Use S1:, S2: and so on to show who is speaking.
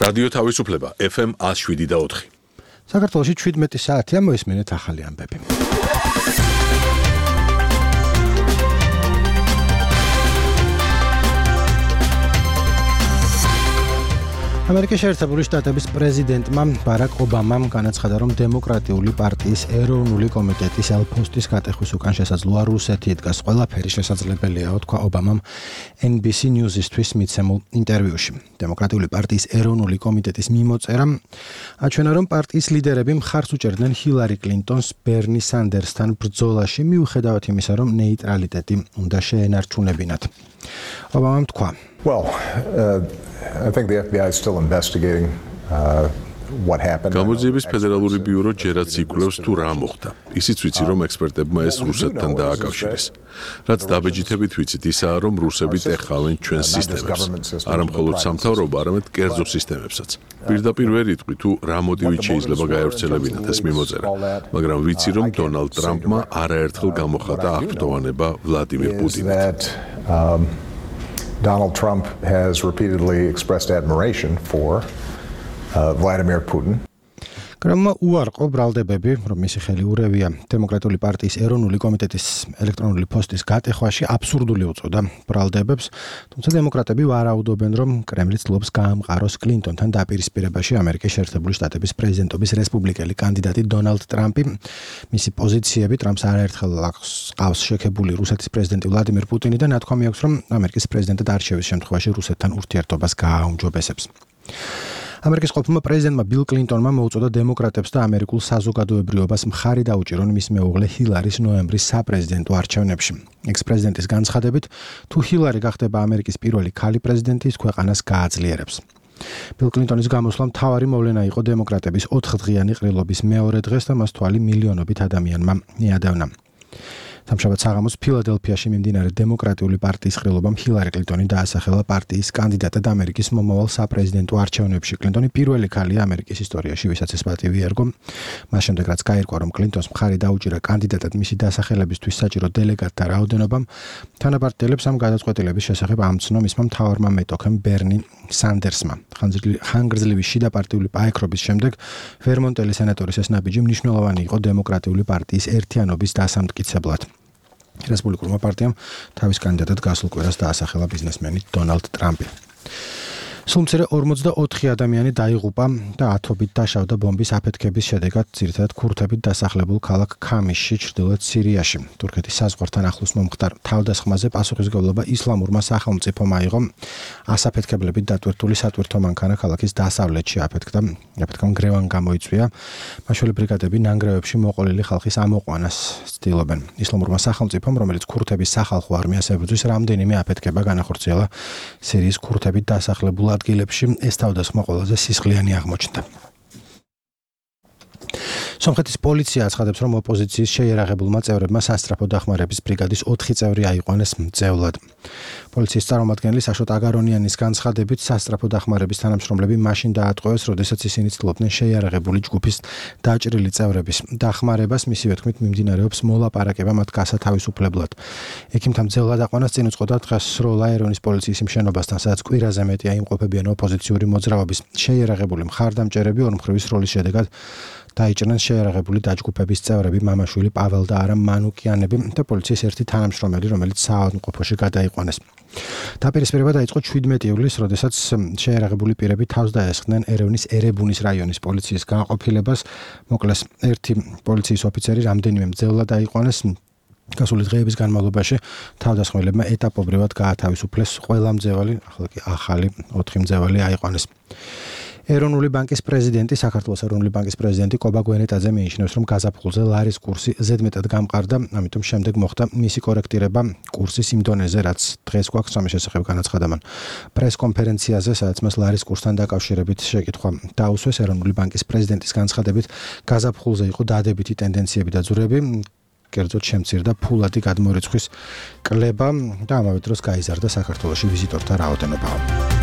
S1: რადიო თავისუფლება FM 107.4.
S2: საქართველოში 17 საათია მოისმენთ ახალი ამბები. ამერიკის შეერთებული შტატების პრეზიდენტმა ბარაკ ობამამ განაცხადა, რომ დემოკრატიული პარტიის ეროვნული კომიტეტის ელფოსტის გატეხვის უკან შესაძლოა რუსეთი იდგას. ყველაფერი შესაძლებელია, თქვა ობამამ NBC News-ისთვის მიცემულ ინტერვიუში. დემოკრატიული პარტიის ეროვნული კომიტეტის მიმოწერამ აჩვენა, რომ პარტიის ლიდერები მხარს უჭერდნენ ჰილარი კლინტონს ბერნი სანდერსთან ბრძოლაში, მიუხედავად იმისა, რომ ნეიტრალიტეტი უნდა შეენარჩუნებინათ. ობამამ თქვა:
S3: I think the FBI is still investigating what happened.
S1: გამოძიების ფედერალური ბიურო ჯერაც იკვლევს თუ რა მოხდა. ისიც ვიცი, რომ ექსპერტებმა ეს რუსეთთან დააკავშირეს. რაც დაბეჯითებით ვიცით, ისაა, რომ რუსები ტეხავენ ჩვენს სისტემებს. არა მხოლოდ სამთავრობო, არამედ კერძო სისტემებსაც. პირდაპირ ვერ იტყვი თუ რა მოტივით შეიძლება გაევრცელებინათ ეს მიმოწერა, მაგრამ ვიცი, რომ დონალდ ტრამპმა არაერთხელ გამოხატა აღფრთოვანება ვლადიმირ პუტინით.
S3: Donald Trump has repeatedly expressed admiration for Vladimir Putin.
S2: კრემლმა უარყო ბრალდებები, რომ მისი ხელი ურევია დემოკრატიული პარტიის ეროვნული კომიტეტის ელექტრონული პოსტის გატეხვაში აბსურდული უწოდა ბრალდებებს, თუმცა დემოკრატები ვარაუდობენ, რომ კრემლი ცდილობს გაამყაროს კლინტონთან დაპირისპირებაში ამერიკის შეერთებული შტატების პრეზიდენტობის რესპუბლიკელი კანდიდატი დონალდ ტრამპი. მისი პოზიციები ტრამპს არაერთხელ ყავს შექებული რუსეთის პრეზიდენტი ვლადიმირ პუტინი და ნათქვამი აქვს, რომ ამერიკის პრეზიდენტად არჩევის შემთხვევაში რუსეთთან ურთიერთობას გააუმჯობესებს. ამერიკის ყოფილმა პრეზიდენტმა ბილ კლინტონმა მოუწოდა დემოკრატებს და ამერიკულ საზოგადოებრიობას მხარი დაუჭირონ მის მეუღლე ჰილარის ნოემბრის საპრეზიდენტო არჩევნებში. ექს-პრეზიდენტის განცხადებით, თუ ჰილარი გახდება ამერიკის პირველი ქალი პრეზიდენტი, ის ქვეყანას გააძლიერებს. ბილ კლინტონის გამოსვლა მთავარი მოვლენა იყო დემოკრატების 4-დღიანი ყრილობის მეორე დღეს და მას თვალი მილიონობით ადამიანმა მიადევნა. სამშაბათ საღამოს ფილადელფიაში მიმდინარე დემოკრატიული პარტიის ყრილობამ ჰილარი კლინტონი დაასახელა პარტიის კანდიდატად ამერიკის მომავალ საპრეზიდენტო არჩევნებში. კლინტონი პირველი ქალია ამერიკის ისტორიაში, ვისაც ეს პატივი ერგო. მას შემდეგ, რაც გაირკვა, რომ კლინტონს მხარი დაუჭირა კანდიდატად მისი დასახელებისთვის საჭირო დელეგატთა რაოდენობამ, თანაპარტიელებს ამ გადაწყვეტილების შესახებ ამცნო მისმა მთავარმა მეტოქემ ბერნი სანდერსმა. ხანგრძლივი შიდა პარტიული პაექრობის შემდეგ ვერმონტელი სენატორის ეს ნაბიჯი მნიშვნელოვანი იყო დემოკრატიული პარტიის ერთიანობის დასამტკიცებლად. რესპუბლიკურმა პარტიამ თავის კანდიდატად გასულ კვირას დაასახელა ბიზნესმენი დონალდ ტრამპი. სულ მცირე 44 ადამიანი დაიღუპა და ათობით დაშავდა ბომბის აფეთქების შედეგად, ძირითადად ქურთებით დასახლებულ ქალაქ ქამისში, ჩრდილოეთ სირიაში. თურქეთის საზღვართან ახლოს მომხდარ თავდასხმაზე პასუხისმგებლობა ისლამურმა სახელმწიფომ აიღო. ასაფეთქებლებით დატვირთული სატვირთო მანქანა ქალაქის დასავლეთში აფეთქდა. აფეთქამ გრევან გამოიწვია. მაშველე ბრიგადები ნანგრევებში მოყოლილი ხალხის ამოყვანას ცდილობენ. ისლამურმა სახელმწიფომ, რომელიც ქურთების სახალხო არმიას ებრძვის, რამდენიმე აფეთქება განახორციელა სირიის ქურთებით დასახლებულ ადგილებში. ეს თავდასხმა ყველაზე სისხლიანი აღმოჩნდა. სომხეთის პოლიცია აცხადებს, რომ ოპოზიციის შეიარაღებულმა წევრებმა სასტრაფო დახმარების ბრიგადის 4 წევრი აიყვანეს მძევლად. პოლიციის წარმომადგენელი საშოტ აგარონიანის განცხადებით, სასტრაფო დახმარების თანამშრომლები მაშინ დაატყვევეს, როდესაც ისინი ცდილობდნენ შეიარაღებული ჯგუფის დაჭრილი წევრების დახმარებას. მისივე თქმით, მიმდინარეობს მოლაპარაკება მათ გასათავისუფლებლად. ექიმთა მძევლად აყვანას წინ უძღოდა დღეს სროლა ერევნის პოლიციის იმ შენობასთან, სადაც კვირაზე მეტია იმყოფებიან ოპოზიციური მოძრაობის შეიარაღებული მხარდამჭერები. ორმხრივი სროლის შედეგად დაიჭრნენ შეიარაღებული დაჯგუფების წევრები მამაშვილი პაվել და არამ მანუკიანები და პოლიციის ერთი თანამშრომელი, რომელიც საავადმყოფოში გადაიყვანეს. დაპირისპირება დაიწყო 17 ივლისს, როდესაც შეიარაღებული პირები თავს დაესხდნენ ერევნის ერებუნის რაიონის პოლიციის გააყოფილებას. მოკლეს ერთი პოლიციის ოფიცერი, რამდენიმე მძევლად დაიყვანეს. გასული დღეების განმავლობაში თავდასხმელებმა ეტაპობრივად გაათავისუფლეს ყველა მძევალი, ახლა კი ახალი 4 მძევალი აიყვანეს. ეროვნული ბანკის პრეზიდენტი, საქართველოს ეროვნული ბანკის პრეზიდენტი კობა გვენეტაძე მიიჩნევს, რომ გაზაფხულზე ლარის კურსი ზედმეტად გამყარდა, ამიტომ შემდეგ მოხდა მისი კორექტირება კურსის იმ დონეზე, რაც დღეს გვაქვს ამის შესახებ განაცხადა მან პრესკონფერენციაზე, სადაც მას ლარის კურსთან დაკავშირებით შეკითხვა დაუსვეს. ეროვნული ბანკის პრეზიდენტის განცხადებით, გაზაფხულზე იყო დადებითი ტენდენციები და ძვრები, კერძოდ შემცირდა ფულადი გადმორიცხვის კლება და ამავე დროს გაიზარდა საქართველოში ვიზიტორთა რაოდენობა.